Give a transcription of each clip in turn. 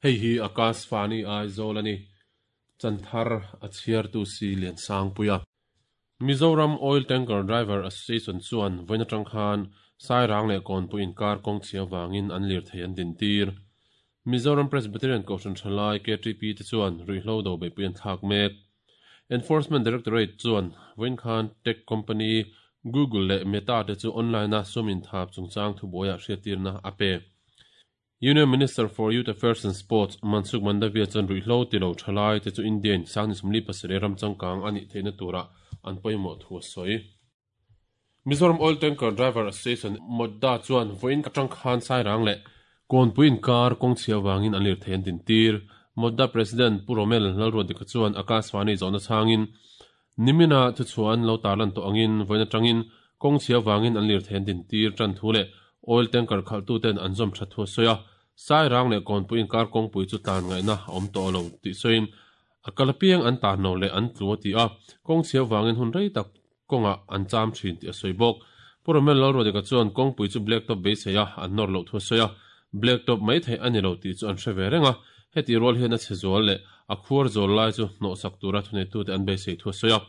Hei hi Akashvani Aizawl a ni. Chanthar a chhiartu si Liansangpuia. Mizoram Oil Tanker Driver Association chuan vawiin atang khan Sairang leh Kawnpui inkar kawng chhia vangin an lirthei an dintir. Mizoram Presbyterian Kohhran Thalai, KTP, te chuan ruihhlo do beihpui an thlak mek. Enforcement Directorate chuan vawiin khan tech company Google leh Meta te chu online-a sum inthap chungchang thubuaiah hriattirna a pe. Union Minister for Youth Affairs and Sports, Mansukh Mandaviya chuan ruihhlo ti lo thalai te chu India-in sang ni 47 ram changkang a nih theihna tura an pawimawh thu a sawi. Mizoram Oil Tanker Driver Association, MOTDA, chuan vawiin atang khan Sairang leh Kawnpui inkar kawng chhia vangin an lirthei an dintir. MOTDA President Pu Romel Lalruadika chuan Akashvani zawhna chhangin, Nimina thuchhuah an lo tarlan tawh angin vawiin atangin kawng chhia vangin an lirthei an dintir tan thu leh oil tanker khalhtuten an zawm that thu a sawi a. Sairang leh Kawnpui inkar kawngpui chu tlan ngaihna a awm tawh lo tih sawiin a kal apiang an tan lo leh an tlu a ti a, kawng chhia vangin hun rei tak kawngah an cham thin tih a sawi bawk. Pu Romel Lalruadika chuan kawngpui chu black top beisei a, an nawr loh thu a sawi a, black top mai theih a ni lo tih chu an hre ve reng a, heti rual hian a chhe zual leh a khuar zawl lai chu hnawhsak tura thuneitute an beisei thu a sawi a.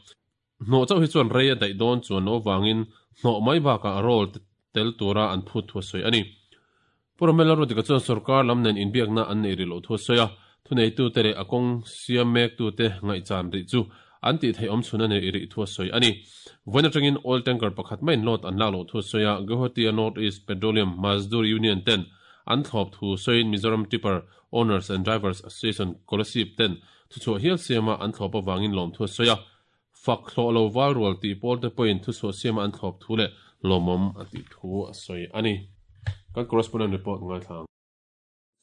Hnawh chauh hi chuan rei a daih dawn chuan loh avangin hnawh mai bakah roll te tel tura an phut thu a sawi a ni. Pu Romel Lalruadika chuan sorkar lam nen inbiakna an neih rih loh thu a sawi a, thuneitute leh a kawng siam mektute ngaihchan rih chu an tih theih awm chhun a nei rih thu a sawi a ni. Vawiin atangin oil tanker pakhat maiin load an lak loh thu a sawi a, Guwahati-a North East Petroleum Mazdoor Union ten an thlawp thu sawiin Mizoram Tipper Owners and Drivers Association Kolasib ten thuchhuah hial siama an thlawp avangin lawmthu a sawi a, fak hlawh lo val rual tih pawl te pawhin thuchhuah siama an thlawp thu leh lawmawm a tih thu a sawi a ni. Kan correspondent report ngaithla ang.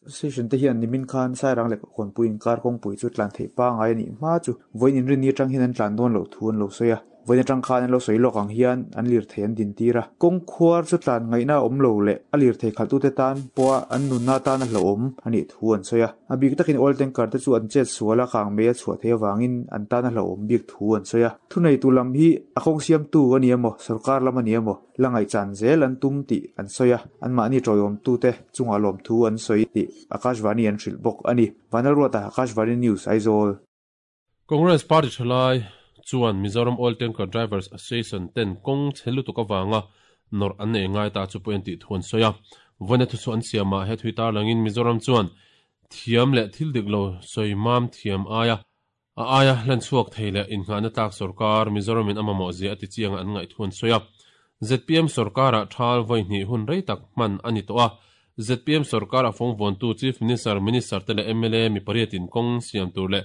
Association te hian nimin khan Sairang leh Kawnpui inkar kawngpui chu tlan theih pangai a nih hma chu vawiin inrinni atang hian an tlan dawn loh thu an lo sawi a. Vawiin atang khan an lo sawi lawk ang hian an lirthei an dintir a. Kawng khuar chu tlan ngaihna a awm lo leh a lirthei khalhtute tan pawha an nunna atan a hlauhawm a nih thu an sawi a. A bik takin oil tanker te chu an chet sual a, kang mei a chhuah theih avangin an tan a hlauhawm bik thu an sawi a. Thuneitu lam hi a kawng siamtu a ni emaw, sorkar lam a ni emaw, la ngaihchan zel an tum tih an sawi a, anmahni tawiawmtute chungah lawmthu an sawi tih Akashvani an hrilh bawk a ni. Vanlalruata, Akashvani News, Aizawl. Congress party thalai chuan Mizoram Oil Tanker Drivers Association ten kawng chhe lutuk avanga nawrh an nei ngai ta chu pawh en tih thu an sawi a. Vawiina thuchhuah an siamah he thui tarlangin Mizoram chuan thiam leh thil dik lo sawi mam thiam aia a aia hlan chhuak thei leh innghahna tlak sorkar Mizoramin a mamawh zia a ti chianga an ngaih thu an sawi a. Zpm sorkarah thal vawi hnih hun rei tak hman a ni tawh a. Zpm sorkar a fawng vuantu Chief Minister, Minister te leh mla mi pariatin kawng siam tur leh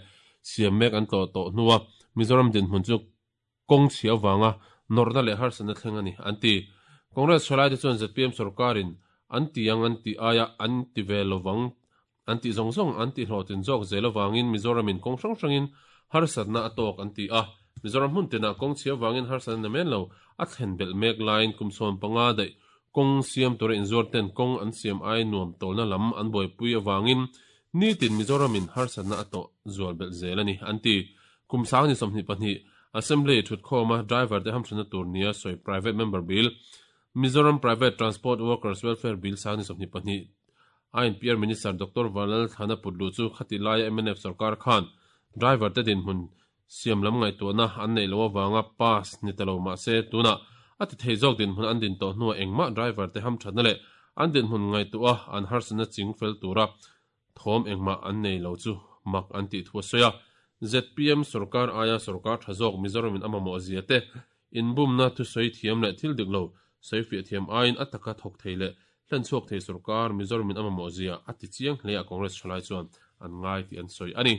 siam mek an tlawh tawh hnua Mizoram dinhmun chu kawng chhia avanga nawrhna leh harsatna thleng a ni, an ti. Congress thalaite chuan zpm sorkarin an ti ang an tih aia an ti ve lovang an tih zawng zawng an tihhlawhtlin zawk zel avangin Mizoramin kawng hrang hrangin harsatna a tawk an ti a. Mizoram hmun tinah kawng chhia avangin harsatna namen lo a thlen belh mek laiin kum 15 daih kawng siam tura inzuar ten kawng an siam ai nuam tawlna lam an buaipui avangin nitin Mizoramin harsatna a tawh zual belh zel a ni, an ti. Kum sang ni 22 Assembly thutkhawma driver te hamthatna tur nia sawi Private Member Bill, Mizoram Private Transport Workers Welfare Bill sang ni 22 INPR Minister Doctor Vanlal Thlana put luh chu khati laia mnf sorkar khan driver te dinhmun siam lam ngaihtuahna an neih loh avanga pass ni ta lo mahse tunah a ti thei zawk dinhmun an din tawh hnuah engmah driver te hamthatna leh an dinhmun ngaihtuah a an harsatna ching fel tura thawm engmah an nei lo chu mak an tih thu a sawi a. Zpm sorkar aia sorkar tha zawk Mizoramin a mamawh zia te, inbumna thusawi thiam leh thil dik lo sawi fiah thiam aiin a taka thawk thei leh hlen chhuak thei sorkar Mizoramin a mamawh zia a ti chiang hle a Congress thalai chuan an ngai tih an sawi a ni.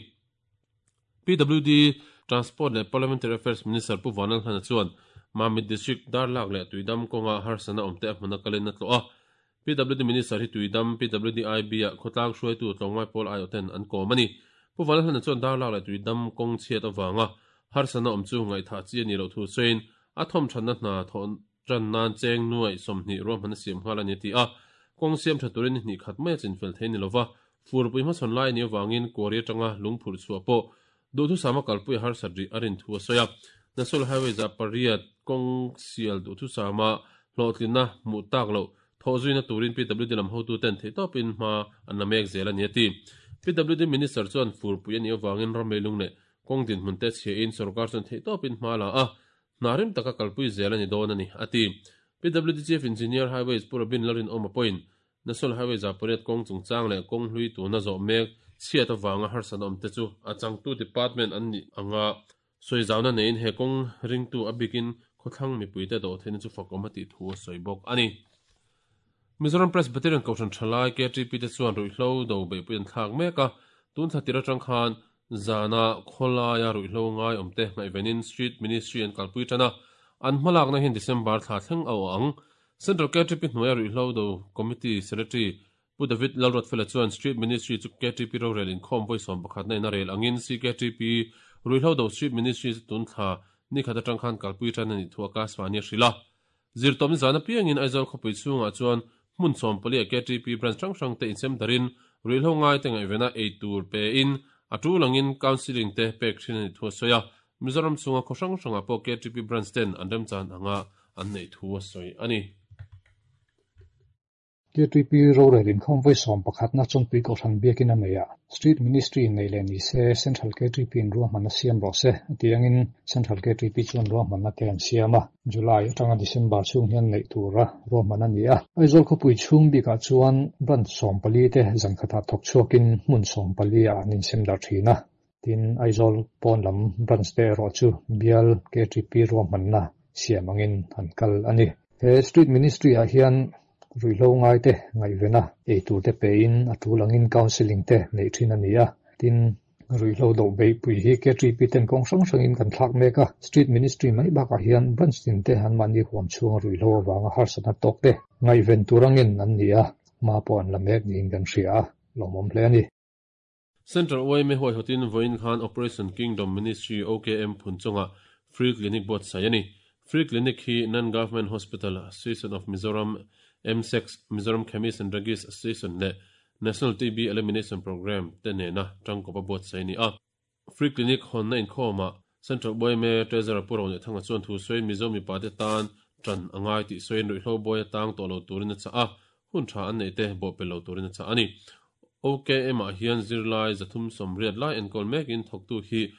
PWD Transport leh Parliamentary Affairs Minister Pu Vanlalhlana chuan Mamit District Darlak leh Tuidam kawnga harsatna awmte a hmuna kalin a tlawh a. PWD Minister hi Tuidam PWD-IB ah khawtlang hruaitu tlawmngai pawl aiawhten an kawm a ni. Pu Vanlalhlana chuan Darlak leh Tuidam kawng chhiat avanga harsatna awm chu ngaihthah chi a nih loh thu sawiin a thawmthatna hna thawh tan nan cheng nuaih 20 ruahman a siam nghal a ni a ti a. Kawng siam tha turin ni hnih khat mai a chinfel thei ni lova, furpui hmasawn lai a nih avangin kuari atanga lungphurh chhuah pawh duhthusama kalpui a harsat rih a rin thu a sawi a. National Highway za pariat kawng sial duhthusama hlawhtlinna hmuh tak loh thawh zuina turin PWD lam hotuten theihtawpin hma an la mek zel a ni a ti. PWD Minister chuan furpui a nih avangin ram leilung leh kawng dinhmun te chhiahin sorkar chuan theihtawpin hma la a, hna rem taka kalpui zel a ni dawn a ni, a ti. PWD Chief Engineer Highways Pu Robin Lalrinawma pawhin National Highway 800 kawng chungchang leh kawng hlui tuna zawh mek chhiat avanga harsatna awm te chu a changtu department an nih anga sawi zauna neiin he kawng ringtu a bikin khawthlang mipuite dawh theihna chu fakawm a tih thu a sawi bawk a ni. Mizoram Presbyterian Kohhran Thalai, KTP, te chuan ruihhlo do beihpui an thlak mek a, tun thla tir atang khan zana khawlaia ruihhlo ngai awmte ngaihvenin Street Ministry an kalpui tan a, an hmalakna hian December thla thleng a awh ang. Central KTP hnuaia ruihhlo do Committee Secretary Pu David Lalruatfela chuan Street Ministry chu KTP rorel inkhawm vawi 11 na in a rel angin CKTP ruihhlo do Street Ministry chu tun thla nikhat atang khan kalpui tan a nih thu Akashvani a hrilh a. Zirtawpni zan apiangin Aizawl khawpui chhungah chuan hmun 14 ah KTP branch hrang hrang te insem darin ruihhlo ngaite ngaihvena ei tur pein a tul angin counselling te pek thin a nih thu a sawi a. Mizoram chhunga khaw hrang hrangah pawh KTP branch ten an remchan anga an neih thu a sawi a ni. KTP rorel inkhawm vawi 11 na Chawnpui Kohhran biakin a nei a, Street Ministry nei leh ni se Central KTP in ruahmanna siam rawh se a tih angin Central KTP chuan ruahmanna te an siam a, July atanga December chhung hian neih tura ruahman a ni a. Aizawl khawpui chhung bikah chuan branch 14 te zan khatah thawk chhuakin hmun 14 ah an insem darh thin a, tin Aizawl pawn lam branch te erawh chu bial KTP ruahmanna siam angin an kal a ni. He Street Ministry ah hian ruihhlo ngaite ngaihvena eitur te pein a tul angin counselling te neih thin a ni a, tin ruihhlo do beihpui hi KTP ten kawng hrang hrangin kan thlak mek a, Street Ministry mai bakah hian branch tin te anmahni huam chhunga ruihhlo avanga harsatna tawk te ngaihven tur angin an ni a, hma pawh an la mek niin kan hria a, lawmawm hle a ni. Central yma huaihawtin vawiin khan Operation Kingdom Ministry, OKM, phun chungah Free Clinic buatsaih a ni. Free Clinic hi Non-Government Hospital Association of Mizoram, MSEX, Mizoram Chemist and Druggist Association leh National TB Elimination Programme te nena tangkawpa buatsaih a ni a. Free Clinic hawnna inkhawmah Central yma Treasurer Pu Ronethanga chuan thu sawiin Mizo mipate tan tan a ngai tih sawiin ruihhlo buai atang tawh lo turin a chah a, hun tha an neih te bawhpelh lo turin a chah a ni. OKM ah hian zirlai 380 lai enkawl mekin thawktu hi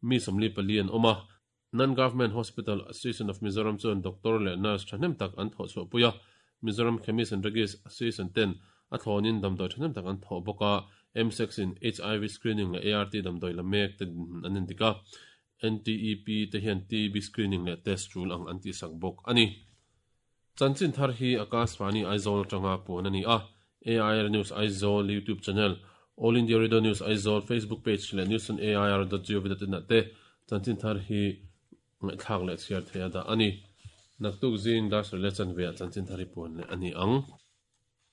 mi 44 an awm a. Non-Government Hospital Association of Mizoram chuan doctor leh nurse thahnem tak an thawh chhuahpui a, Mizoram Chemist and Druggist Association ten a thlawnin damdawi thahnem tak an thawh bawk a, MSEX in HIV screening leh ART damdawi la mek te dinhmun an endik a, NTEP te hian TB screening leh test tul ang an tihsak bawk a ni. Chanchin thar hi Akashvani Aizawl atanga puan a ni a, AIR News Aizawl YouTube channel, All India Radio News Aizawl Facebook page leh news on air dot gov dot in ah te chanchin thar hi ngaihthlak leh chhiar theih a dah a ni. Naktuk zing dar sawi leh chanve ah chanchin thar hi puan leh a ni ang.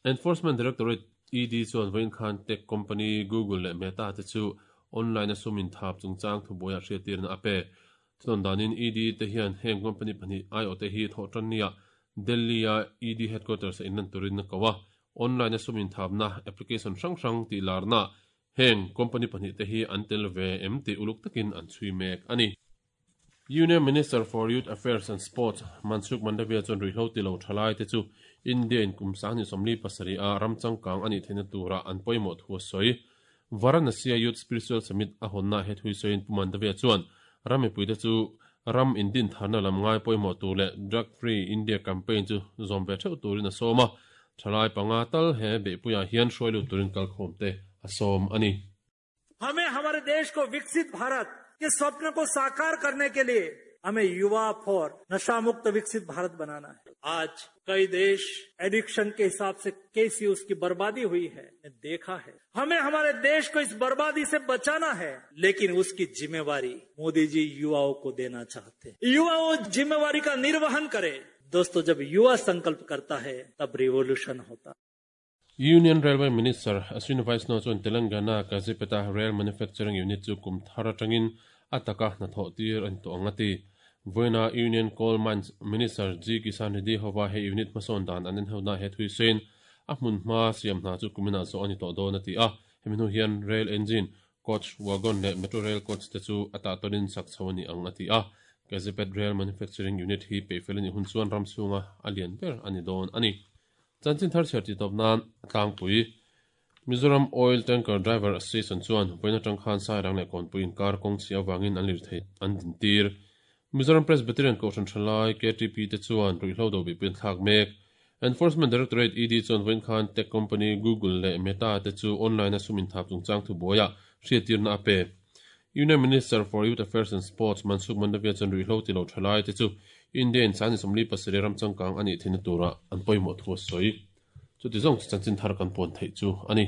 Enforcement Directorate, ED, chuan vawiin khan tech company Google leh Meta te chu online a sum inthap chungchang thubuaiah hriattirna a pe. Chuan danin ED te hian heng company pahnih aiawhte hi thawh tan nia Delhi-a ED headquarters a inlan turin a ko a, online a sum inthapna application hrang hrang tih larna heng company pahnih te hi an tel ve em tih uluk takin an chhui mek a ni. Union Minister for Youth Affairs and Sports Mansukh Mandaviya chuan ruihhlo ti lo thalai te chu India in kum 2027 a ram changkang a nih theihna tura an pawimawh thu a sawi. Varanasi-a Youth Spiritual Summit a hawnna he thui sawiin Pu Mandaviya chuan ram mipuite chu ram indin tharna lam ngai pawimawh tur leh Drug Free India campaign chu zawm ve theuh turin a sawm a, thalai panga tal he beihpuiah hian hruai lut turin kalkhawmte a sawm a ni. हमें हमारे देश को विकसित भारत के स्वप्न को साकार करने के लिए हमें युवा फॉर नशा मुक्त विकसित भारत बनाना है। आज कई देश एडिक्शन के हिसाब से कैसी उसकी बर्बादी हुई है देखा है। हमें हमारे देश को इस बर्बादी से बचाना है, लेकिन उसकी जिम्मेवारी मोदी जी युवाओं को देना चाहते हैं। युवा वो जिम्मेवारी का निर्वहन करे। दोस्तों, जब युवा संकल्प करता है तब रिवोल्यूशन होता। Union Railway Minister Ashwini Vaishnaw chuan Telangana Kazipet-a Rail Manufacturing Unit chu kum thar atangin a taka hnathawh tir a ni tawh ang a ti. Vawiina Union Coal Mines Minister G Kisan Reddy hova he unit hmasawn dan an enhona he thui sawiin a hmun hma siam hna chu kuminah zawh a ni tawh dawn a ti a. Hemi hnu hian rail engine, coach, wagon leh metro rail coach te chu a tah tawnin sak chho a ni ang a ti a. Kazipet Rail Manufacturing Unit hi peihfel a nih hun chuan ram chhunga a lian ber a ni dawn a ni. Chanchin thar chhiar tih tawp nan a tlangpui. Mizoram Oil Tanker Driver Association chuan vawiin atang khan Sairang leh Kawnpui inkar kawng chhia avangin an lirthei an dintir. Mizoram Presbyterian Kohhran Thalai, ktp, te chuan ruihhlo do bihpui an thlak mek. Enforcement Directorate, ED, chuan vawiin khan tech company Google leh Meta te chu online a sum inthap chungchang thubuaiah hriattirna a pe. Union Minister for Youth Affairs and Sports Mansukh Mandaviya chuan ruihhlo ti lo thalai te chu India in 37 ram changkang a nih theihna turah an pawimawh thu a sawi. Chuti zawng chu chanchin thar kan puan theih chu a ni.